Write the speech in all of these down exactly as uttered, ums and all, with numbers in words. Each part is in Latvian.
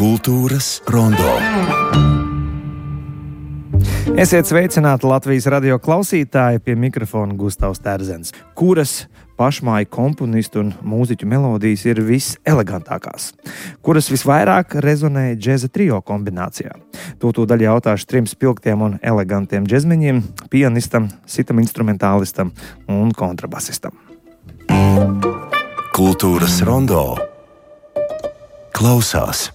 Kultūras rondo. Esiet sveicināti Latvijas radio klausītāji, pie mikrofona Gustavs Terzens, kuras pašmāju komponistu un mūziķu melodijas ir viselegantākās, kuras visvairāk rezonē džeza trio kombinācijā. To tūdaļ jautāšu trim spilgtiem un elegantiem džezmeņiem, pianistam, sitam instrumentālistam un kontrabasistam. Kultūras rondo klausās.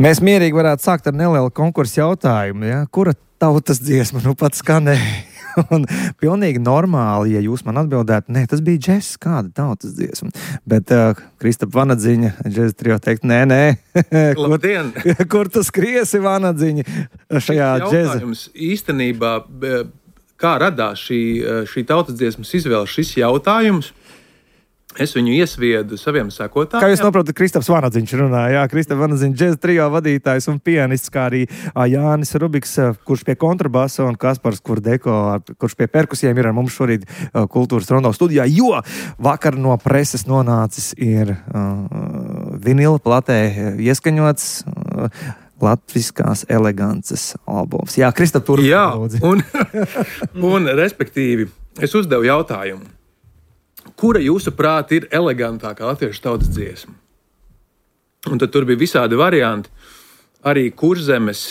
Mēs mierīgi varētu sākt ar nelielu konkursu jautājumu, ja? Kura tautas dziesma nu pat skanēja? Un pilnīgi normāli, ja jūs man atbildētu, nē, tas bija džess, kāda tautas dziesma. Bet uh, Kristapa Vanadziņa, džeza trio teikt, nē, nē. Labdien! kur, kur tu skriesi, Vanadziņa, šajā džeza? Jautājums īstenībā, kā radās šī, šī tautas dziesmas izvēle, šis jautājums? Es viņu iesviedu saviem sekotājiem. Kā jūs saprotat, Kristaps Vanadziņš runāja, jā, Kristapa Vanadziņa džeza trio vadītājs un pianists, kā arī Jānis Rubiks, kurš pie kontrabasa, un Kaspars Kurdeko, kurš pie perkusijiem ir ar mums šorīt Kultūras rondo studijā, jo vakar no preses nonācis ir uh, vinila platē ieskaņots uh, latviskās elegances albums. Jā, Kristap, tur. Jā, un, un respektīvi, es uzdevu jautājumu. Kura jūsuprāt ir elegantākā latviešu tautas dziesma? Un tad tur bija visādi varianti. Arī Kurzemes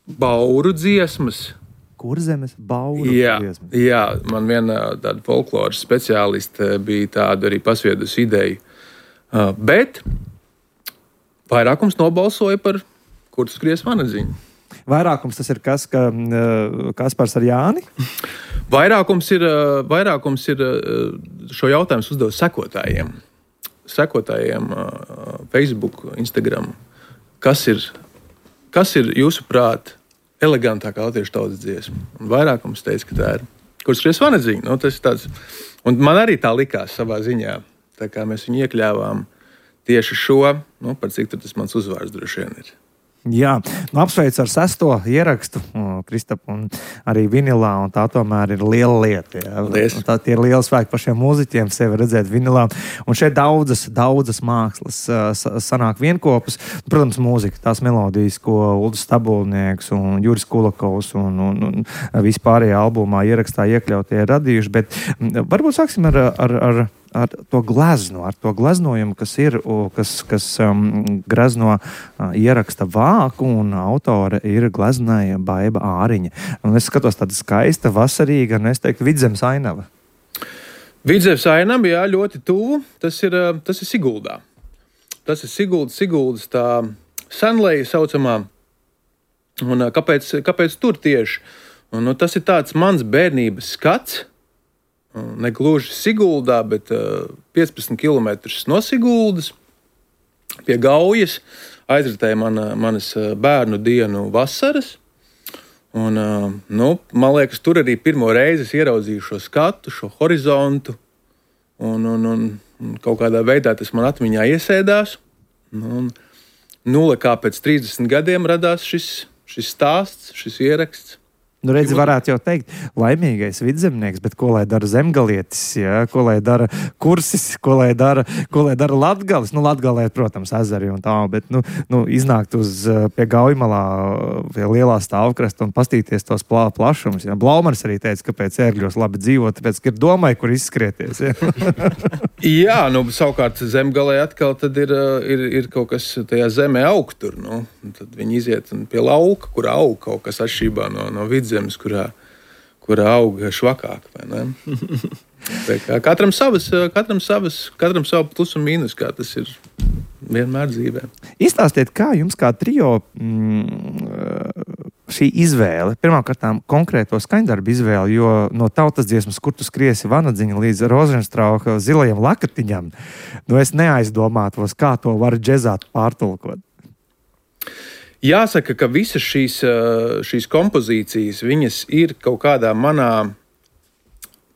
bauru dziesmas. Kurzemes bauru jā, dziesmas? Jā, man viena tāda folkloras speciāliste bija tāda arī pasviedus ideju. Uh, bet vairākums nobalsoja par Kur tu skries Vanadziņu. Vairākums tas ir kas, ka uh, Kaspars ar Jāni? Vairākums ir, vairākums ir šo jautājumu uzdevu sekotājiem. Sekotājiem Facebook, Instagram. Kas ir, kas ir jūsuprāt elegantākā latviešu tautas dziesma? Un vairākums teica, ka tā ir Kur skries Vanadziņa. Nu, tas ir tāds. Un man arī tā likās savā ziņā. Tā kā mēs viņu iekļāvām tieši šo, nu, par cik tas mans uzvārds droši vien ir. Jā, nu, apsveicu ar sesto ierakstu, Kristap, un arī vinilā, un tā tomēr ir liela lieta. Tā tie ir liela spēki pašiem mūziķiem sevi redzēt vinilā. Un šeit daudzas, daudzas mākslas sanāk vienkopus. Protams, mūzika, tās melodijas, ko Uldis Stabulnieks un Juris Kulakovs un, un, un vispārējā albumā ierakstā iekļautie radījuši, bet varbūt sāksim ar, ar, ar ar to glezno, ar to gleznojumu, kas ir, kas, kas um, glezno uh, ieraksta vāku, un autore ir gleznāja Baiba Āriņa. Un es skatos tāda skaista, vasarīga, un es teiktu, Vidzemes ainava. Vidzemes ainava, jā, ļoti tuvu. Tas ir, tas ir Siguldā. Tas ir Siguldas, Siguldas tā senleja saucamā. Un kāpēc, kāpēc tur tieši? Un, nu, tas ir tāds mans bērnības skats. Ne gluži Siguldā, bet uh, piecpadsmit kilometrus no Siguldas pie Gaujas aizritēja mana, manas bērnu dienu vasaras. Un, uh, nu, man liekas, tur arī pirmo reizi ieraudzīju šo skatu, šo horizontu. Un, un, un, un kaut kādā veidā tas man atmiņā iesēdās. Un, nulle kā pēc trīsdesmit gadiem radās šis, šis stāsts, šis ieraksts. Nu, redzi, varētu jau teikt, laimīgais vidzemnieks, bet ko lai dara zemgalietis, ja? Ko lai dara kursis, ko lai dara, ko lai dara latgalis. Nu, Latgalē, protams, ezeri un tā, bet nu, nu, iznākt uz pie Gaujamalā, pie lielā stāvkrasta un pastīties tos plā, plašums. Ja? Blaumans arī teica, ka pēc ērgļos labi dzīvot, tāpēc, ka ir domāju, kur izskrieties. Ja? Jā, nu, savukārt zemgalē atkal tad ir, ir, ir kaut kas tajā zemē aug tur. Nu. Tad viņi iziet pie lauka, kur aug kaut kas atšķībā no, no vidzemes, kurā, kurā aug švakāk, vai ne? Katram savas, katram savas, katram savu plus un mīnus, kā tas ir vienmēr dzīvē. Izstāstiet, kā jums kā trio mm, šī izvēle, pirmkārtām konkrēto skaņdarbu izvēle, jo no tautas dziesmas, Kur tu skriesi Vanadziņa līdz Rozenstrauka zilajam lakatiņam, nu es neaizdomātos, kā to var džezāt pārtulkot. Jāsaka, ka visas šīs, šīs kompozīcijas, viņas ir kaut kādā manā,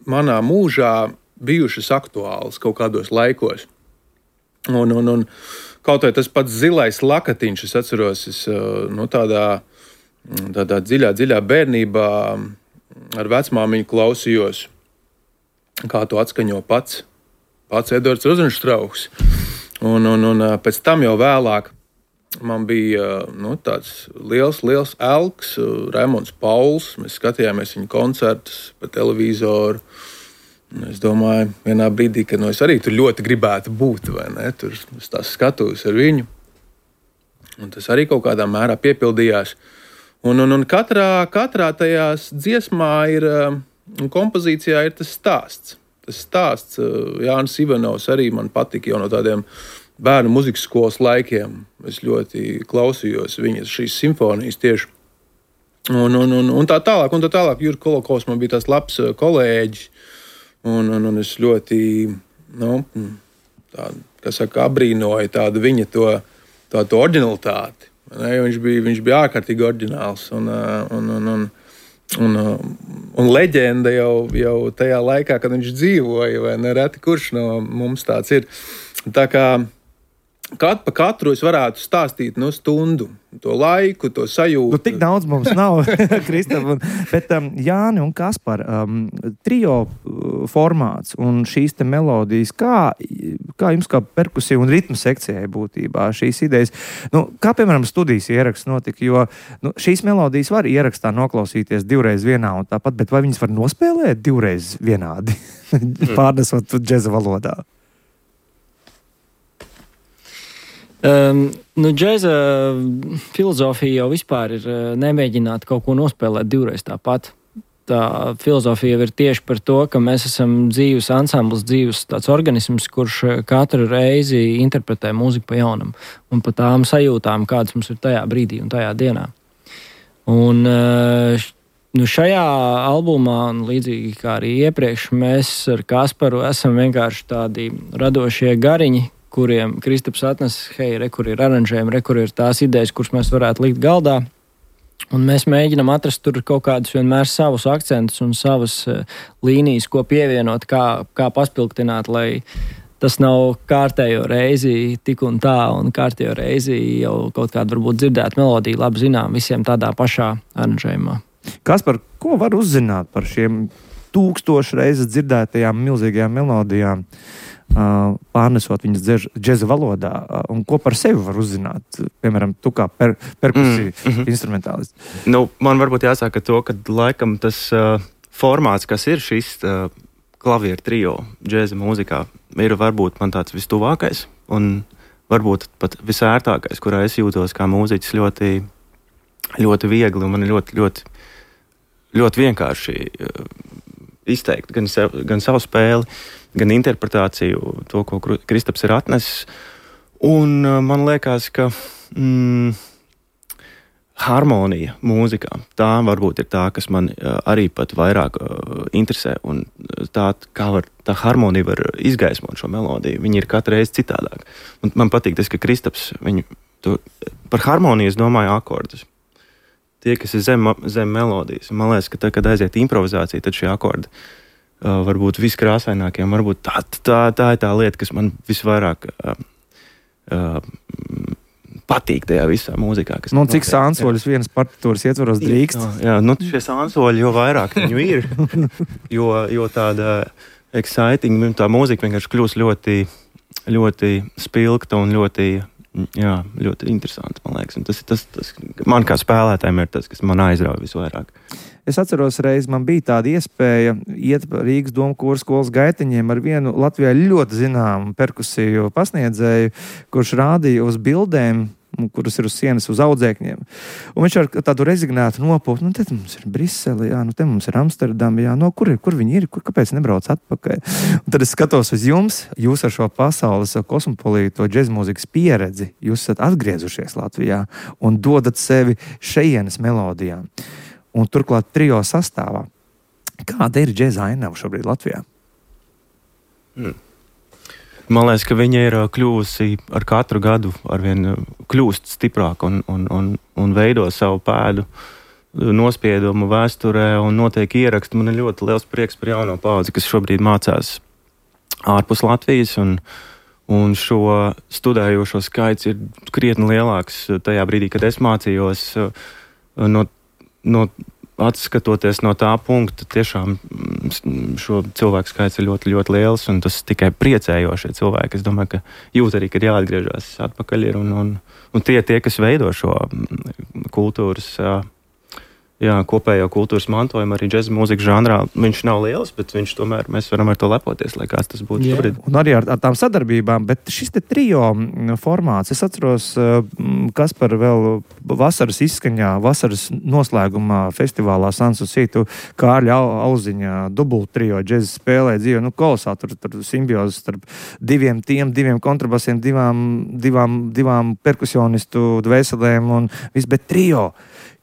manā mūžā bijušas aktuālas kaut kādos laikos. Un, un, un kaut vai tas pats Zilais lakatiņš, es atceros, es nu, tādā, tādā dziļā, dziļā bērnībā ar vecmāmiņu klausījos, kā to atskaņo pats, pats Edvards Rozenštrauchs. Un, un, un pēc tam jau vēlāk man bija nu, tāds liels, liels elks, Raimonds Pauls. Mēs skatījāmies viņa koncertus pa televizoru. Es domāju, vienā brīdī, ka nu, es arī tur ļoti gribētu būt, vai ne? Tur es tās skatos ar viņu. Un tas arī kaut kādā mērā piepildījās. Un, un, un katrā, katrā tajās dziesmā ir, un kompozīcijā ir tas stāsts. Tas stāsts Jānis Ivanovs arī man patika jau no tādiem bērnu muzikas skolas laikiem. Es ļoti klausījos viņas šīs simfonijas tieši. Un, un, un, un tā tālāk, un tā tālāk. Jurka Kolokovs man bija tās labs kolēģis. Un, un, un es ļoti, nu, tā, kā saka, abrīnoju tādu viņa to, tā, to oriģinalitāti. Ne? Viņš bija, viņš bija ārkārtīgi oriģināls. Un, un, un, un, un, un leģenda jau, jau tajā laikā, kad viņš dzīvoja, vai nereti kurš no mums tāds ir. Tā kā Kat, pa katru es varētu stāstīt no stundu, to laiku, to sajūtu. Nu, tik daudz mums nav, Kristap. Bet um, Jāni un Kaspar, um, trio formāts un šīs te melodijas, kā, kā jums kā perkusija un ritmu sekcijai būtībā šīs idejas, nu, kā piemēram studijas ieraksts notika, jo nu, šīs melodijas var ierakstā noklausīties divreiz vienā un tāpat, bet vai viņas var nospēlēt divreiz vienādi, pārnesot džeza valodā? Um, nu, džeza filozofija jau vispār ir nemēģināt kaut ko nospēlēt divreiz tāpat. Tā filozofija ir tieši par to, ka mēs esam dzīves ansambls, dzīves tāds organisms, kurš katru reizi interpretē mūziku pa jaunam un pa tām sajūtām, kādas mums ir tajā brīdī un tajā dienā. Un nu, šajā albumā, un līdzīgi kā arī iepriekš, mēs ar Kasparu esam vienkārši tādi radošie gariņi, kuriem Kristaps atnes, hei, re, kur ir aranžējumi, re, kur ir tās idejas, kuras mēs varētu likt galdā. Un mēs mēģinam atrast tur kaut kādus vienmēr savus akcentus un savas uh, līnijas, ko pievienot, kā, kā paspilgtināt, lai tas nav kārtējo reizi tik un tā, un kārtējo reizi jau kaut kāda varbūt dzirdēta melodija, labi zinām visiem tādā pašā aranžējumā. Kaspar, ko var uzzināt par šiem tūkstošu reizes dzirdētajām milzīgajām melodijām? Uh, pārnesot viņas džeza valodā, uh, un ko par sevi var uzzināt, piemēram, tu kā per, perkusija mm, mm-hmm. instrumentālists? Nu, man varbūt jāsaka to, ka laikam tas uh, formāts, kas ir šis uh, klavieru trio džeza mūzikā, ir varbūt man tāds vistuvākais, un varbūt pat visērtākais, kurā es jūtos kā mūziķis ļoti, ļoti viegli, un man ir ļoti, ļoti, ļoti vienkārši uh, izteikt gan, sev, gan savu spēli, gan interpretāciju, to, ko Kristaps ir atnesis. Un uh, man liekas, ka mm, harmonija mūzikā, tā varbūt ir tā, kas man uh, arī pat vairāk uh, interesē. Un tā, kā var, tā harmonija var izgaismot šo melodiju. Viņi ir katru reizi citādāk. Un man patīk tas, ka Kristaps, viņu, tu, par harmoniju es domāju akordus. Tie, kas ir zem, zem melodijas. Man liekas, ka tā, kad aiziet improvizācija, tad šie akordi Uh, varbūt viskrāsainākiem, varbūt tā, tā, tā ir tā lieta, kas man visvairāk uh, uh, patīk tajā visā mūzikā. Kas nu, cik sānsoļus vienas partitūras ietvaros drīkst? Jā, jā, nu šie sānsoļi, jo vairāk viņu ir, jo, jo tāda exciting, tā mūzika vienkārši kļūst ļoti, ļoti spilgta un ļoti, jā, ļoti interesanta, man liekas. Un tas, tas, tas, man kā spēlētājiem ir tas, kas man aizrauja visvairāk. Es atceros, reiz man bija tāda iespēja iet Rīgas Doma kora skolas gaitiņiem ar vienu Latvijā ļoti zināmu perkusiju pasniedzēju, kurš rādīja uz bildēm, kuras ir uz sienas uz audzēkņiem. Un viņš ar tādu rezignētu nopūtu, nu te mums ir Brisele, jā, nu te mums ir Amsterdama, jā, no kur ir, kur viņi ir, kur, kāpēc nebrauc atpakaļ? Un tad es skatos uz jums, jūs ar šo pasaules kosmopolīto džezmūzikas pieredzi, jūs esat atgriezušies Latvijā un dodat sevi šejienes melodijām. Un turklāt trio sastāvā. Kāda ir džeza ainava šobrīd Latvijā? Hmm. Man liekas, ka viņa ir kļuvusi ar katru gadu arvien kļūst stiprāk un, un, un, un veido savu pēdu nospiedumu vēsturē un notiek ieraksti. Man ir ļoti liels prieks par jauno paudzi, kas šobrīd mācās ārpus Latvijas, un, un šo studējošo skaits ir krietni lielāks tajā brīdī, kad es mācījos no, no atskatoties no tā punkta, tiešām šo cilvēku skaits ir ļoti, ļoti liels, un tas tikai priecējošie cilvēki. Es domāju, ka jūt arī, kad jāatgriežas atpakaļ ir, un, un, un tie, tie, kas veido šo kultūras, jā, kopējo kultūras mantojumu, arī džeza mūzikas žanrā, viņš nav liels, bet viņš tomēr, mēs varam ar to lepoties, lai kāds tas būtu šobrīd. Un arī ar, ar tām sadarbībām, bet šis te trio formāts, es atceros, kas par vēl vasaras izskaņā, vasaras noslēgumā festivālā Sanssouci, tu Kārļa Auziņā dubult trio džeza spēlē dzīve, nu kolosā, tur, tur simbiozes starp diviem tiem, diviem kontrabasiem, divām, divām, divām perkusionistu dvēselēm un viss, bet trio.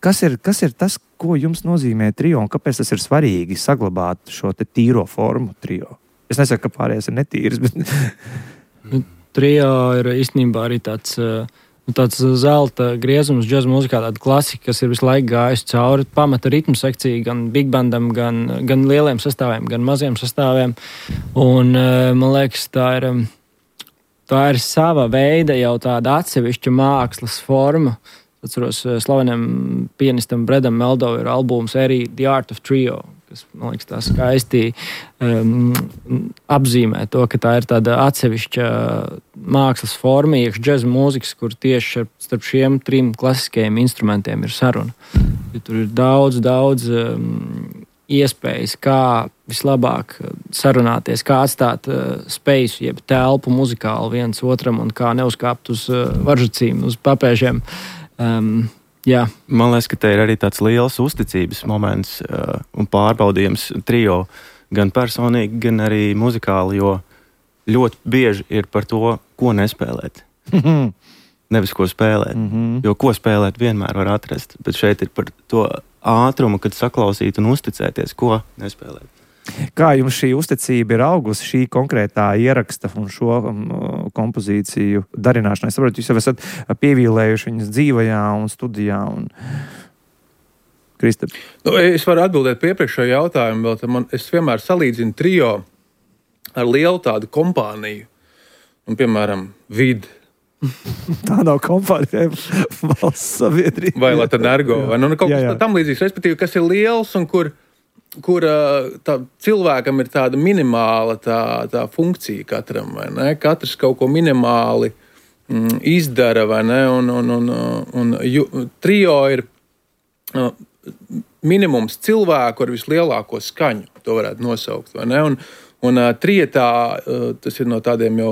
Kas ir, kas ir tas, ko jums nozīmē trio un kāpēc tas ir svarīgi saglabāt šo te tīro formu trio? Es nesaku, ka pārējais ir netīrs, bet... Nu, trio ir īstenībā arī tāds, nu, tāds zelta griezums džaza mūzikā, tāda klasika, kas ir visu laiku gājusi cauri pamata ritmu sekcija gan big bandam, gan, gan lieliem sastāviem, gan maziem sastāviem. Un man liekas, tā ir, tā ir sava veida jau tāda atsevišķa mākslas forma. Atceros, slavenam pianistam Bredam Meldow ir albums arī The Art of Trio, kas, man liekas, tā skaisti um, apzīmē to, ka tā ir tāda atsevišķa mākslas forma, iekš džeza mūzikas, kur tieši starp šiem trim klasiskajiem instrumentiem ir saruna. Ja tur ir daudz, daudz um, iespējas, kā vislabāk sarunāties, kā atstāt uh, spēju, jeb telpu muzikāli viens otram un kā neuzkāpt uz uh, varžacīm, uz papēžiem. Um, jā. Man liekas, ka te ir arī tāds liels uzticības moments uh, un pārbaudījums trio gan personīgi, gan arī muzikāli, jo ļoti bieži ir par to, ko nespēlēt. Nevis ko spēlēt, mm-hmm. jo ko spēlēt vienmēr var atrast, bet šeit ir par to ātrumu, kad saklausīt un uzticēties, ko nespēlēt. Kā jums šī uzticība ir augusi šī konkrētā ieraksta un šo um, kompozīciju darināšanai? Es saprotu, jūs jau esat pievīlējuši viņas dzīvajā un studijā. Un... Kristap. Nu, es varu atbildēt pie iepriekšējo jautājumu, vēl man, es vienmēr salīdzinu trio ar lielu tādu kompāniju, un, piemēram, Vid. Tā nav kompānija, valsts sabiedrība. Vai Latenergo, vai nu, kaut kas tam līdzīgs, respektīvi, kas ir liels un kur kur tā, cilvēkam ir tāda minimāla tā, tā funkcija katram, vai ne? Katrs kaut ko minimāli mm, izdara, vai ne? Un, un, un, un ju, trio ir uh, minimums cilvēku ar vislielāko skaņu, to varētu nosaukt, vai ne? Un, un uh, trietā, uh, tas ir no tādiem jau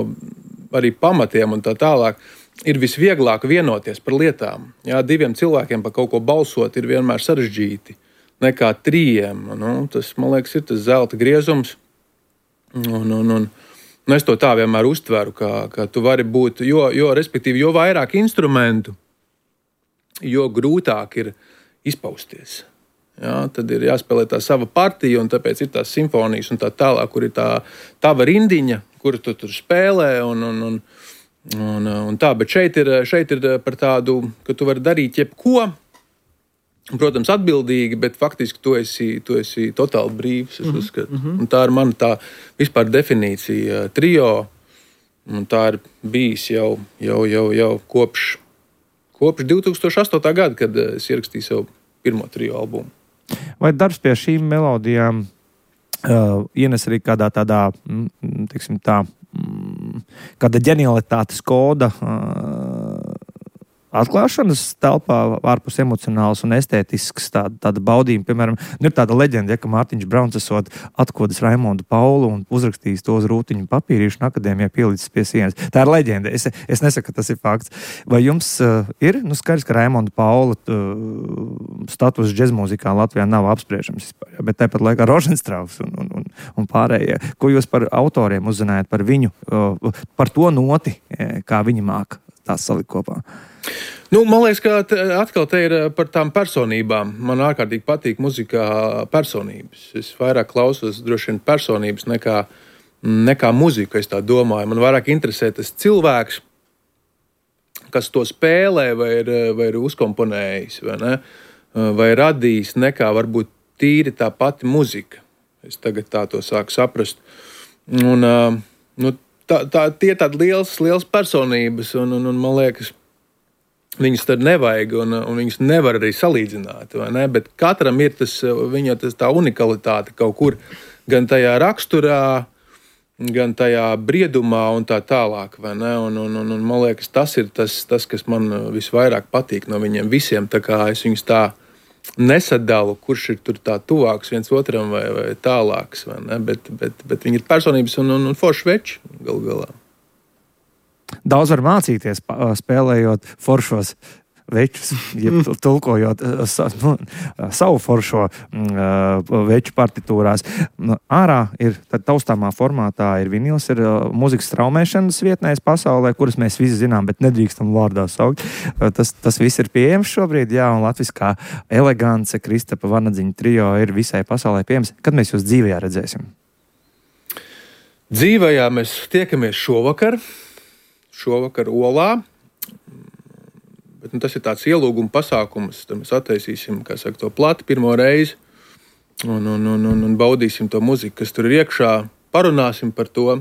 arī pamatiem un tā tālāk, ir visvieglāk vienoties par lietām. Jā, diviem cilvēkiem par kaut ko balsot ir vienmēr sarežģīti. Nekā trījiem. Nu, tas, man liekas, ir tas zelta griezums. Un, un, un, un es to tā vienmēr uztveru, ka, ka tu vari būt, jo, jo, respektīvi, jo vairāk instrumentu, jo grūtāk ir izpausties. Jā, tad ir jāspēlē tā sava partija, un tāpēc ir tās simfonijas un tā tālāk, kur ir tā tava rindiņa, kuru tu tur spēlē, un, un, un, un, un tā. Bet šeit ir, šeit ir par tādu, ka tu vari darīt jebko, protams, atbildīgi, bet faktiski tu esi, tu esi totāli brīvs. Es uzskatu. Mm-hmm. Un tā ir mana tā vispār definīcija trio. Un tā ir bijis jau, jau, jau, jau kopš, kopš divi tūkstoši astotā gada, kad es ierakstīju savu pirmo trio albumu. Vai darbs pie šīm melodijām uh, ienes arī kādā tādā, mm, teiksim tā, mm, kāda ģenialitātes koda uh, atklāšanas telpā ārpus emocionāls un estētisks tāda, tāda baudījuma. Piemēram, ir tāda leģenda, ja, ka Mārtiņš Brauns esot atkodis Raimondu Paulu un uzrakstījis to uz rūtiņu papīrīšu un akadēmijā pielicis pie sienas. Tā ir leģenda. Es, es nesaku, ka tas ir fakts. Vai jums uh, ir, nu skaidrs, ka Raimonda Paula uh, status džezmūzikā Latvijā nav apspriežams vispār, bet tāpat laikā Roženstrauks un, un, un, un pārējie. Ko jūs par autoriem uzzinājat, par viņu, uh, par to noti, kā viņi māk tās salikt kopā? Nu, man liekas, ka atkal te ir par tām personībām. Man ārkārtīgi patīk muzikā personības. Es vairāk klausos droši vien personības nekā, nekā muziku, es tā domāju. Man vairāk interesē tas cilvēks, kas to spēlē vai ir, vai ir uzkomponējis, vai, ne? Vai radījis, nekā varbūt tīri tā pati muzika. Es tagad tā to sāku saprast. Un, nu, tā, tā, tie tādi liels, liels personības, un, un, un man liekas, viņus tad nevajag, un, un viņus nevar arī salīdzināt, vai ne? Bet katram ir tas, viņa tas tā unikalitāte kaut kur, gan tajā raksturā, gan tajā briedumā un tā tālāk, vai ne? Un, un, un, un man liekas, tas ir tas, tas, kas man visvairāk patīk no viņiem visiem, tā kā es viņus tā nesadalu, kurš ir tur tā tuvāks viens otram vai, vai tālāks, vai ne? Bet, bet, bet viņi ir personības un, un, un forši veči galu galā. Daudz var mācīties, spēlējot foršos večus, jeb tulkojot nu, savu foršo veču partitūrās. Ārā ir taustāmā formātā ir vinils, ir mūzikas straumēšanas vietnēs pasaulē, kuras mēs visi zinām, bet nedrīkstam vārdā saukt. Tas, tas viss ir pieejams šobrīd, jā, un latviskā elegance, Kristapa Vanadziņa trio ir visai pasaulē pieejams. Kad mēs jūs dzīvajā redzēsim? Dzīvajā mēs tiekamies šovakar, šovakar Olā. Bet, nu, tas ir tāds ielūguma pasākums, tad mēs attaisīsim, kā saka, to plati pirmo reizi un, un, un, un, un baudīsim to muziku, kas tur ir iekšā, parunāsim par to.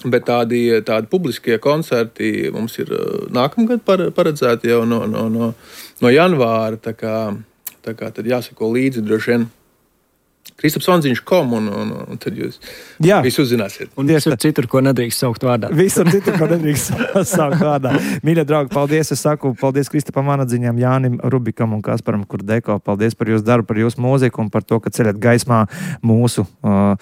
Bet tādi, tādi publiskie koncerti mums ir nākamgad paredzēti jau no, no, no, no janvāra, tā kā, tā kā tad jāsako līdzi droši vien Kristaps Vanziņš punkt com un, un, un tad jūs Jā. Visu uzzināsiet. Un visur citur, ko nedrīkst saukt vārdā. Visur citur, ko nedrīkst saukt vārdā. Mīļie draugi, paldies. Es saku paldies Kristapam Vanadziņam, Jānim Rubikam un Kasparam Kurdeko. Paldies par jūsu darbu, par jūsu mūziku un par to, ka ceļat gaismā mūsu uh,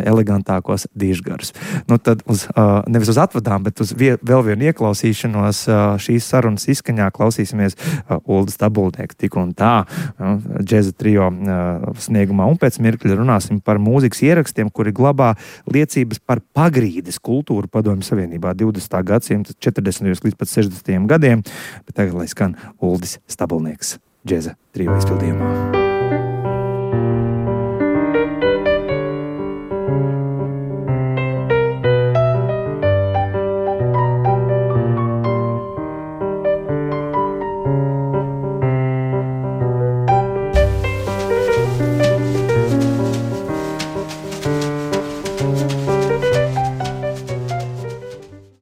elegantākos dižgarus. Nu tad uz, uh, nevis uz atvadām, bet uz vie, vēl vienu ieklausīšanos uh, šīs sarunas izskaņā klausīsimies uh, Ulda Stabulnieka tik un tā uh, džeza trio uh, sniegumā. Un pēc mirkļa runāsim par mūzikas ierakstiem, kuri glabā liecības par pagrīdes kultūru Padomju Savienībā divdesmitā gadsimta četrdesmitajos līdz pat sešdesmitajiem gadiem. Bet tagad, lai skan Uldis Stabulnieks džeza trio izpildījumā.